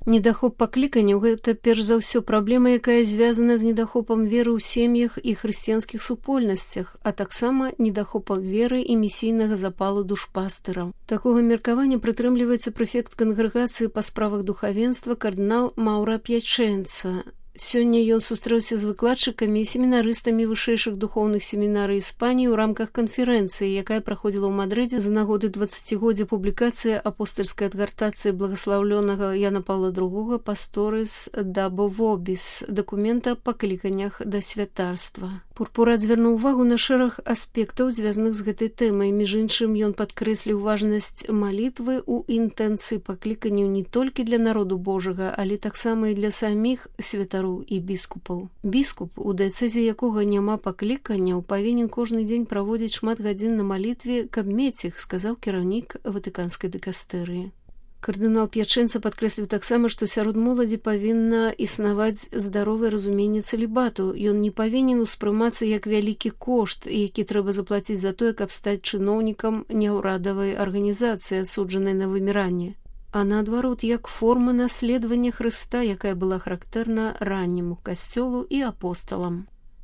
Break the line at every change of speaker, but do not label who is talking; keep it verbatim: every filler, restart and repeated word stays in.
Недахоп пакліканняў – гэта перш за ўсё праблема, якая звязана з недахопам веры ў сем'ях і хрысціянскіх супольнасцях, а таксама недахопам веры і місійнага запалу душпастыраў. Такога меркавання прытрымліваецца прэфект кангрэгацыі па справах духавенства кардынал Маўра П'ячэнца. Сёння ён сустрэўся з выкладчыкамі і семінарыстамі вышэйшых духоўных семінарый Іспаніі ў рамках канферэнцыі, якая праходзіла ў Мадрыдзе з нагоды дваццацігоддзя публікацыі апостальскай адгартацыі благаслаўлёнага Яна Паўла другога «Пасторис дабо вобіс» дакумента па кліканнях да святарства. Пурпурат звярнуў увагу на шэраг аспектаў, звязаных з гэтай тэмай. Між іншым, ён падкрэсліў важнасць малітвы ў інтэнцыі пакліканняў не толькі для народу Божага, але таксама і для саміх святароў і біскупаў. Біскуп, у дыяцэзе якога няма пакліканняў, павінен кожны дзень праводзіць шмат гадзін на малітве, каб мець іх, сказаў кіраўнік ватыканскай дыкастэрыі. Кардынал П'ячэнца падкрэсліў таксама, што сярод моладзі павінна існаваць здаровае разуменне цэлібату. Ён не павінен успрымацца як вялікі кошт, які трэба заплаціць за тое, каб стаць чыноўнікам няўрадавай арганізацыі, асуджанай на выміранне, а наадварот, як форма наследавання Хрыста, якая была характэрна ранняму касцёлу і апосталам.